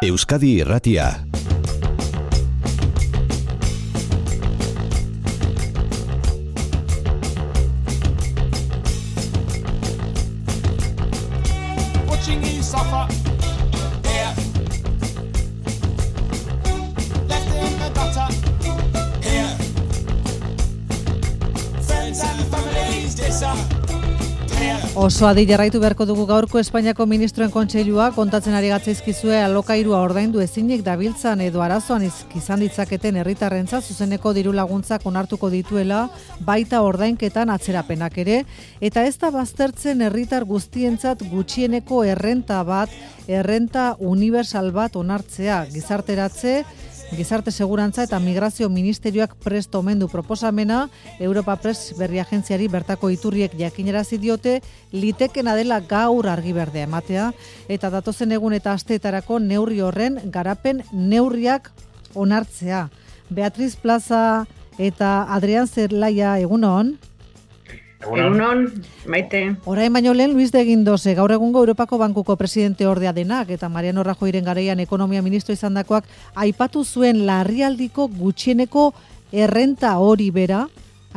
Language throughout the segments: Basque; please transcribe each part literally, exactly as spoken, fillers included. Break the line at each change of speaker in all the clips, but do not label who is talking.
Euskadi Irratia.
Oso adi jarraitu beharko dugu gaurko Espainiako Ministroen Kontseilua kontatzen ari gatzaizkizue alokairua ordaindu ezinik dabiltzan edo arazoan izan ditzaketen herritarrentzat zuzeneko diru laguntzak onartuko dituela, baita ordainketan atzerapenak ere, eta ez da baztertzen herritar guztientzat gutxieneko errenta bat, errenta universal bat onartzea, gizarteratze, Gizarte Segurantza eta Migrazio Ministerioak prest omen du proposamena, Europa Press berri agentziari bertako iturriek jakinarazi diote, litekena dela gaur argi berdea ematea, eta datozen egun eta asteetarako neurri horren garapen neurriak onartzea. Beatriz Plaza eta Adrián Zerlaia, egunon?
Egunon, maite.
Orain baino lehen Luis de Guindoze, gaur egungo Europako Bankuko presidente ordea denak eta Mariano Rajoyren garaian ekonomia ministro izandakoak aipatu zuen larrialdiko gutxieneko errenta hori bera,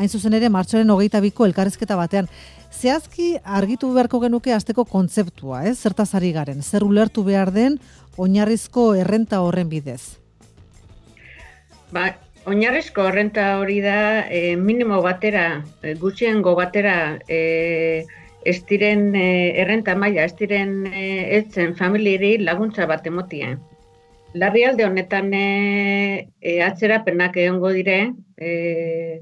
hain zuzen ere martxoaren hogeita biko elkarrizketa batean. Zehazki argitu beharko genuke hasteko kontzeptua, eh? Zertaz ari garen, zer ulertu behar den oinarrizko errenta horren bidez?
Ba, Oinarrizko errenta hori da e, minimo batera, e, gutxiengo batera e, ez diren e, errenta maila, ez diren e, etzen familiari laguntza bat emotia. Larrialde honetan e, e, atzerapenak egongo dire, e,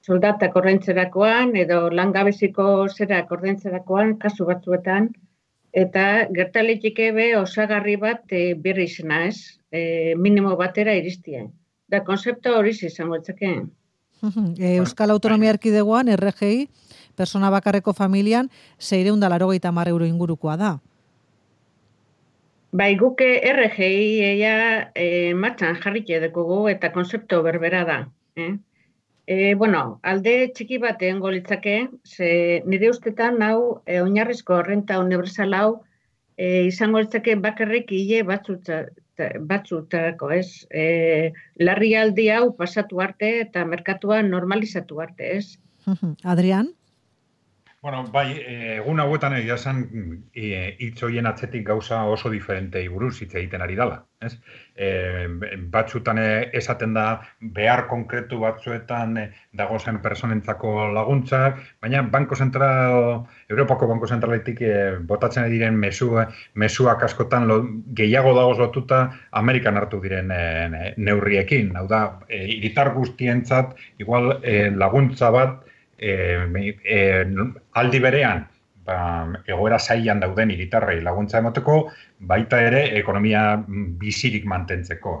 soldatak ordaintzerakoan edo langabeziko zerak ordaintzerakoan kasu batzuetan, eta gertaliteke be osagarri bat e, berri izena ez, e, minimo batera iristia. Da, konzeptu hori izango etzake.
Euskal Autonomia Erkidegoan, R G I, persona bakarreko familian, seiehun eta laurogeita hamar euro ingurukoa da.
Bai, guke R G I ea e, martxan jarrike dekogu eta konzeptu berbera da. Eh? E, bueno, alde txiki bat egongo litzake, ze nire ustetan hau e, oinarrizko errenta universal hau e, izango litzake bakarrik hile batzutza, batzutarako, ez? E, larrialdi hau pasatu arte eta merkatua normalizatu arte, ez?
Adrián?
Bueno, bai, egun hauetan egia esan hitz horien atzetik gauza oso diferentei buruz hitz egiten ari dela, ez? E, batzutan esaten da behar konkretu batzuetan dagozen personentzako laguntzak, baina Banko Zentral, Europako Banko Zentraletik e, botatzen diren mesu, mesuak askotan lo, gehiago dagoz lotuta Amerikan hartu diren e, neurriekin. Hau da, e, hiritar guztientzat igual e, laguntza bat E, e, aldi berean ba, egoera zailan dauden hiritarrei laguntza emateko, baita ere ekonomia bizirik mantentzeko.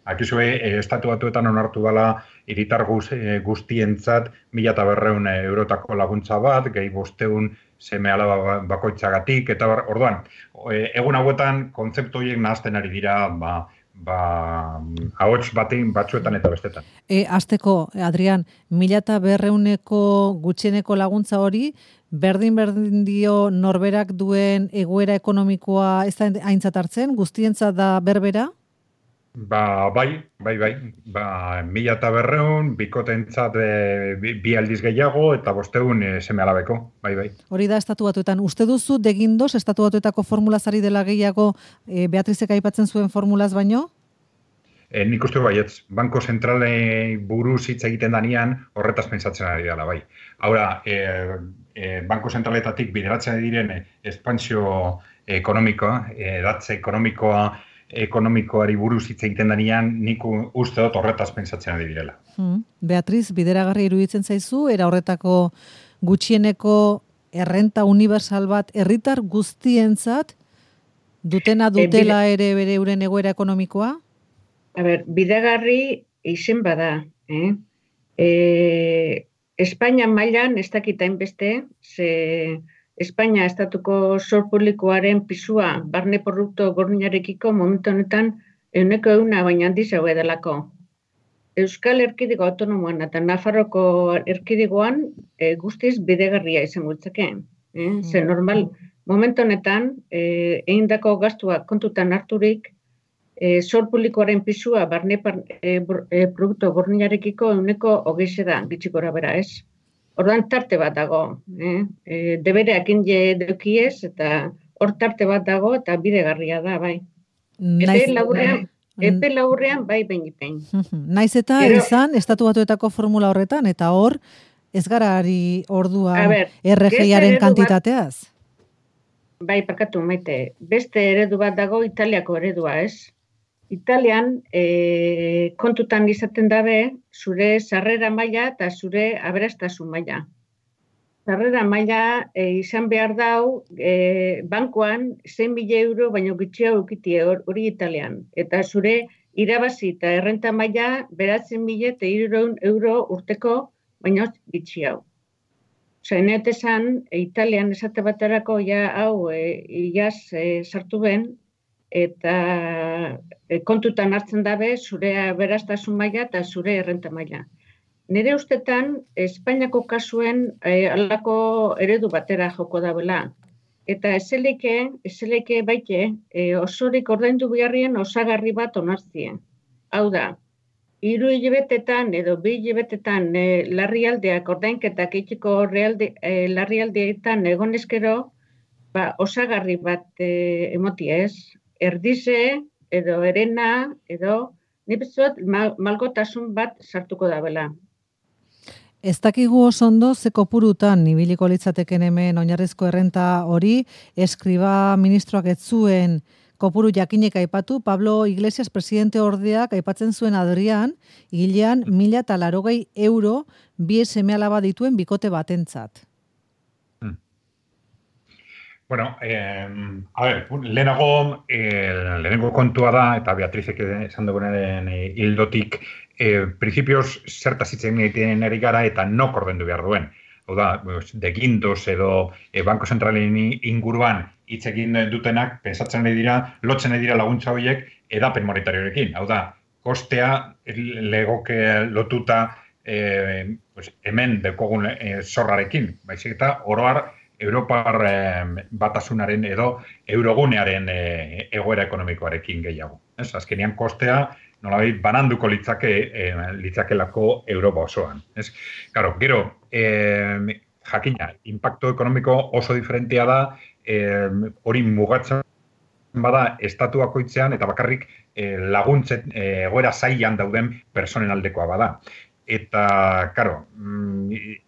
Akizue, e, estatu batuetan onartu dela hiritar guz, e, guztientzat mila eta berreun eurotako laguntza bat, gehi bosteun seme alaba bakoitzagatik, eta orduan, e, egun hauetan kontzeptu horiek nahazten ari dira, ba, ba, ahots batein batzuetan eta bestetan.
E, azteko, Adrián, mila eta berreuneko gutxieneko laguntza hori, berdin-berdin dio norberak duen egoera ekonomikoa ez da aintzat hartzen, guztientzat da berbera?
Ba, bai, bai, bai. Ba, mila eta berreun, bikotentzat e, bi, bi aldiz gehiago, eta bosteun e, seme alabeko, bai, bai.
Hori da estatu batuetan. Uste duzu, de Guindos, estatu batuetako formulazari dela gehiago e, Beatrizek aipatzen zuen formulaz baino?
E, nik uste baietz, Banko Zentralei buruz hitz egiten danean horretaz pentsatzen ari dela, bai. Haura, e, e, Banko Zentraletatik bideratzen diren espansio ekonomikoa, edatze ekonomikoa, ekonomikoari buruz hitz egiten danean, nik uste dut horretaz pentsatzen ari direla.
Hmm. Beatriz, bideragarri iruditzen zaizu, era horretako gutxieneko errenta universal bat herritar guztientzat dutena dutela e, bide... ere bere euren egoera ekonomikoa?
A ber, bidegarri izen bada. Eh? E, Espainia mailan ez dakita inbeste, ze Espainia estatuko zor publikoaren pisua barne produktu gordinarekiko momentu honetan ehuneko ehuna baina handiz hau edalako. Euskal Erkidego Autonomoan eta Nafarroko Erkidegoan e, guztiz bidegarria izango litzake. Eh? Ze normal, momentu honetan, e, egindako gastuak kontutan harturik, e, zor publikoaren pisua barne par, e, bor, e, produktu gordinarekiko ehuneko hogei da, gitxi gora bera, ez? Orduan tarte bat dago, eh? E, debereak inje deukiez, eta hor tarte bat dago, eta bidegarria da, bai.
Naiz,
Epe laburrean, epe laburrean bai behin-behin.
Naiz eta Gero, izan, Estatu Batuetako formula horretan, eta hor, ez gara ari orduan R G I-aren kantitateaz?
Bat, bai, parkatu, maite. Beste eredu bat dago Italiako eredua, ez? Italian, e, kontutan izaten dabe, zure sarrera maila eta zure aberastasun maila. Sarrera maila e, izan behar dau, e, bankoan zein mila euro baino gutxiago eukitie hori Italian. Eta zure irabazi eta errenta maila beratzen mila eta hirurehun euro urteko baino gutxiago. Osa, neotesan, e, Italian esate baterako ja hau e, iaz e, sartu ben, eta e, kontutan hartzen dabe zure aberastasun maila eta zure errenta maila. Nire ustetan, Espainiako kasuen eh, alako eredu batera joko dabela. Eta ezeleke, ezeleke baite, eh, osorik ordaindu beharrien osagarri bat onartzien. Hau da, hiru hilabetetan edo bi hilabetetan eh, larrialdeak ordainketak egiteko eh, larrialdeetan egonezkero, ba, osagarri bat eh, emoti ez. Erdize, edo erena, edo nipezot mal, malgotasun bat sartuko dabela.
Ez dakigu oso ondo ze kopurutan ibiliko litzateken hemen oinarrizko errenta hori, eskriba ministroak ez zuen kopuru jakinek aipatu, Pablo Iglesias presidente ordeak aipatzen zuen Adrian, hilean mila eta larogei euro bi seme alaba dituen bikote batentzat.
Hmm. Bueno, eh, a ver, lehenago, eh, lehenengo kontua da, eta Beatrizek esan dugunaren eh, hildotik, E, principios zertaz hitzen egiten ari gara eta nok ordendu behar duen. Hau da, de Guindos edo e, Banko Zentralen inguruan hitz egin dutenak, pensatzen nahi dira, lotzen nahi dira laguntza horiek edapen monetariorekin. Hau da, kostea legoke lotuta e, pues, hemen dekogun e, zorrarekin. Baizik eta oroar Europar e, batasunaren edo eurogunearen e, egoera ekonomikoarekin gehiago. Ez, azkenean kostea nolabait bananduko litzake eh, litzakelako Europa osoan. Ez? Claro, gero, eh, jakina, impacto ekonomiko oso diferentea da, eh, hori mugatzen bada estatu bakoitzean eta bakarrik eh, laguntzen eh, egoera zailan dauden personen aldekoa bada. Eta, claro,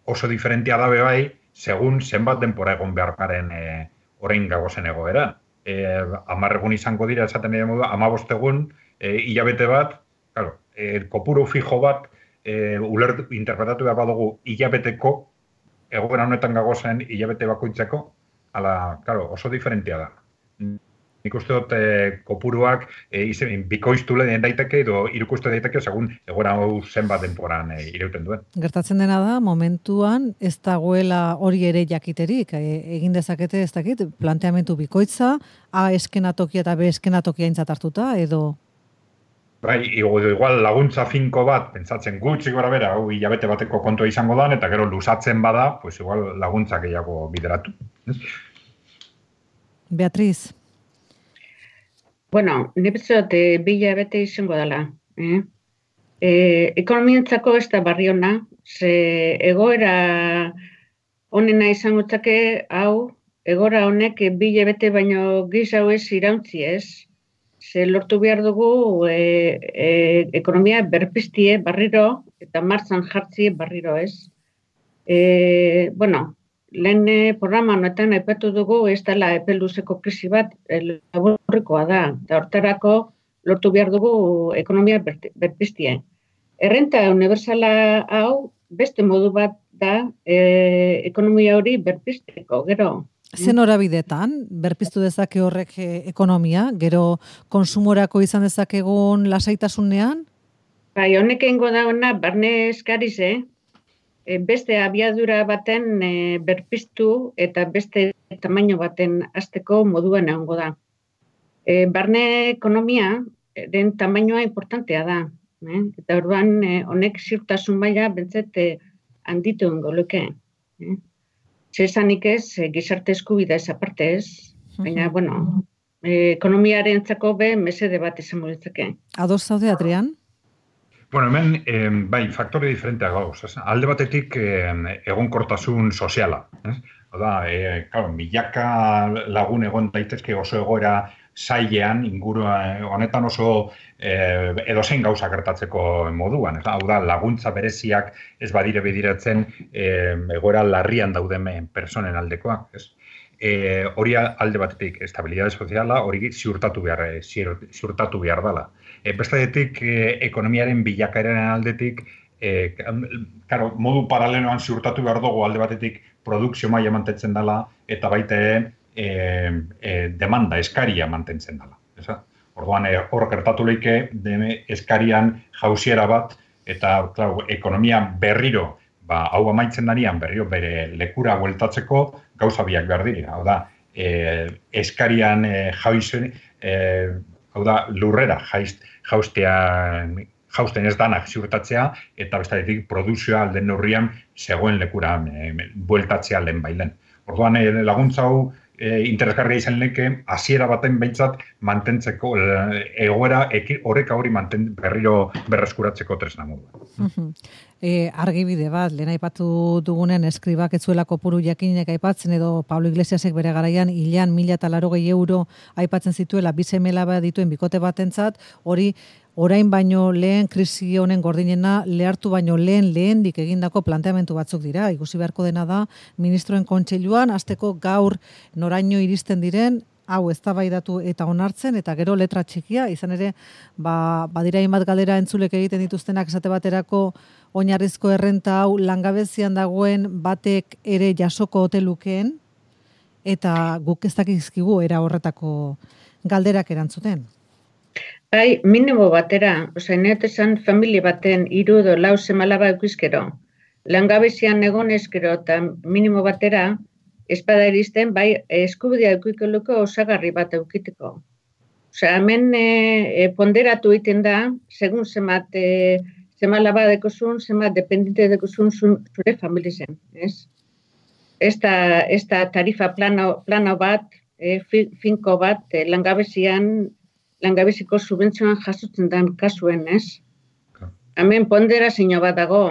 oso diferentea da bai, segun zenbat denpora egon behar garen eh, orain gagozen egoera. Eh, hamar egun izango dira, esaten dira modu, hamabost egun, E, hilabete bat, claro, e, kopuru fijo bat, e, ulertu, interpretatu behar badugu hilabeteko, egoera honetan gagozen hilabete bakoitzeko, ala, claro, oso diferentea da. Nik uste dut e, kopuruak e, izen, bikoiztu lehen daiteke edo irukustu daiteke segun egoera hau zenbat denporan e, irauten duen.
Gertatzen dena da, momentuan ez dagoela hori ere jakiterik, e, egin dezakete ez dakit, planteamentu bikoitza, A eskenatokia eta B eskenatokia aintzat hartuta, edo...
Bai, igual laguntza finko bat, pentsatzen gutxi gora bera, hau hilabete bateko kontua izango da, eta gero lusatzen bada, pues igual laguntza gehiago bideratu.
Beatriz.
Bueno, nipezot, e, bi hilabete izango dela. Eh? E, ekonomientzako ez da barri ona, ze egoera honena izango txake, hau, egoera honek bi hilabete baino giz hau ez irauntzi ez. Ze lortu behar dugu e, e, ekonomia berpiztie barriro eta martzan jartzi barriro ez. E, bueno, lehen programa honetan aipatu dugu ez dela epe luzeko krisi bat laburrekoa da. Eta hortarako lortu behar dugu ekonomia berpiztie. Errenta unibertsala hau beste modu bat da e, ekonomia hori berpizteko, gero.
Zen horabidetan, berpiztu dezake horrek ekonomia, gero konsumorako izan dezakegun lasaitasunean?
Bai, honek egingo dagoena, barne eskarize, beste abiadura baten e, berpiztu eta beste tamaino baten hasteko moduan egongo da. E, barne ekonomia den tamainoa importantea da. Eh? Eta orduan e, honek ziurtasun maila bentzet e, handitu egingo luke. Eh? Zesanik ez, gizarte eskubidea ez aparte ez, baina, bueno, e, ekonomiarentzako be mesede bat izango litzake.
Ados zaude, Adrian?
Bueno, hemen, eh, bai, faktore diferenteak gauz. Ez? Alde batetik eh, egonkortasun soziala. Ez? Oda, eh, claro, milaka lagun egon daitezke oso egoera zailean, inguru honetan oso eh, edozein gauza gertatzeko moduan. Ez? Hau da, laguntza bereziak ez badire bidiratzen eh, egoera larrian dauden personen aldekoak. Ez? E, hori alde batetik estabilidade soziala, hori ziurtatu behar, ziurtatu behar dela. E, bestetik, e, ekonomiaren bilakaeraren aldetik, e, karo, modu paraleloan ziurtatu behar dugu alde batetik produkzio maila mantentzen dela, eta baita e, e, demanda, eskaria mantentzen dela. Eza? Orduan, e, hor gertatu leike, eskarian jauziera bat, eta klar, ekonomia berriro, ba, hau amaitzen darian berriro bere lekura bueltatzeko gauza biak behar dira. Hau da, e, eskarian e, jauzen, e, hau da, lurrera jaiz, jaustea, jausten ez danak ziurtatzea, eta bestaretik produzioa alden neurrian zegoen lekura e, bueltatzea lehen bailen. Orduan, e, laguntza hau e, interesgarria izan leke, hasiera baten behintzat mantentzeko, e, egoera horreka hori manten, berriro berreskuratzeko tresna modua.
Uh-huh. E, argibide bat, lehen aipatu dugunen eskribak etzuela kopuru jakinek aipatzen edo Pablo Iglesiasek bere garaian hilean mila eta larogei euro aipatzen zituela bizemela bat dituen bikote batentzat, hori orain baino lehen krisi honen gordinena lehartu baino lehen lehendik egindako planteamentu batzuk dira. Ikusi beharko dena da ministroen kontseiluan hasteko gaur noraino iristen diren hau eztabaidatu eta onartzen, eta gero letra txikia, izan ere, ba, badira hainbat galdera entzulek egiten dituztenak esate baterako oinarrizko errenta hau langabezian dagoen batek ere jasoko ote lukeen, eta guk ez dakizkigu era horretako galderak erantzuten.
Bai, minimo batera, osea, neotesan familia baten hiru edo lau semalaba eukizkero, langabezian egon ezkero eta minimo batera, espada iristen, bai, eskubidea eukiko osagarri bat eukiteko. Osea, hemen e, ponderatu egiten da, segun zemat e, zemalaba dekozun, zemat dependente dekozun zure familizen, ez? Ez da, ez da tarifa plano, plano bat, e, finko bat, e, langabezian, langabeziko subentzioan jasotzen den kasuen, ez? Hemen ponderazio bat dago.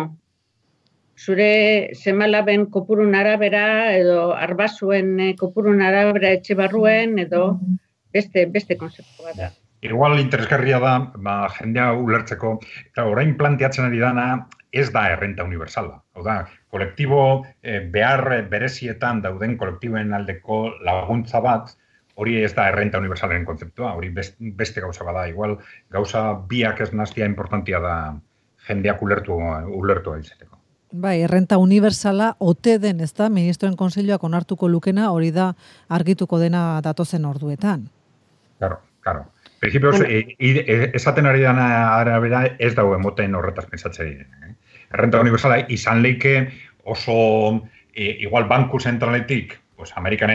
Zure semalaben kopurun arabera edo arbazuen kopurun arabera etxe barruen edo beste, beste konzeptu bat da.
Igual interesgarria da, ba, jendea ulertzeko, eta orain planteatzen ari dana ez da errenta universala. Hau da, kolektibo eh, behar berezietan dauden kolektiboen aldeko laguntza bat, hori ez da errenta universalen kontzeptua, hori beste, beste gauza bada. Igual gauza biak ez naztia importantia da jendeak ulertu, ulertu izateko.
Bai, errenta universala ote den, ez da, ministroen kontseiluak onartuko lukena, hori da argituko dena datozen orduetan.
Claro, claro. Principios, bueno. e, e, esaten ari dana arabera ez dago emoten horretaz pentsatzen diren. Eh? Errenta universala izan leike oso, e, igual banku zentraletik, pues, Amerikan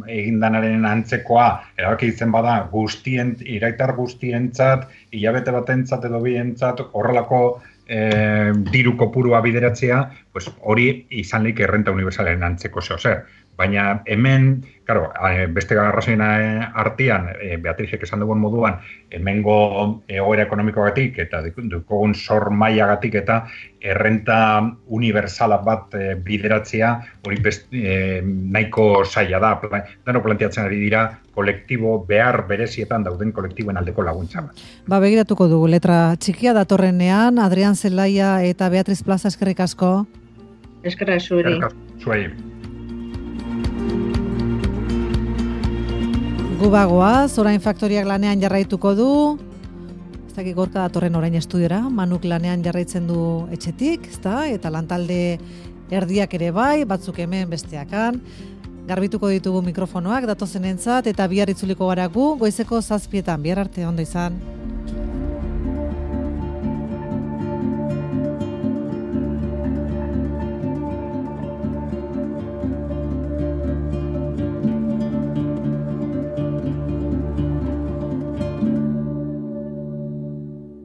egindanaren antzekoa, erabaki ditzen bada guztien, iraitar guztientzat, hilabete batentzat edo bientzat, horrelako E, diru kopurua bideratzea, pues, hori izan leik errenta universalen antzeko zeo zer. Baina hemen, claro, beste garrazoina artean, e, Beatrizek esan dugun moduan, hemengo egoera ekonomikoagatik eta dukogun sor mailagatik eta errenta universala bat e, bideratzea, hori best, e, nahiko zaila da. Dano planteatzen ari dira, kolektibo behar berezietan dauden kolektiboen aldeko laguntza bat.
Ba, begiratuko dugu letra txikia datorrenean, Adrian Zelaia eta Beatriz Plaza, eskerrik asko.
Eskerrik zuri.
Zuei.
Gubagoaz, orain faktoriak lanean jarraituko du. Ez dakik Gorka datorren orain estudiora, Manuk lanean jarraitzen du etxetik, ezta? Eta lantalde erdiak ere bai, batzuk hemen besteakan. Garbituko ditugu mikrofonoak datozenentzat eta bihar itzuliko gara gu, goizeko zazpietan, bihar arte ondo izan.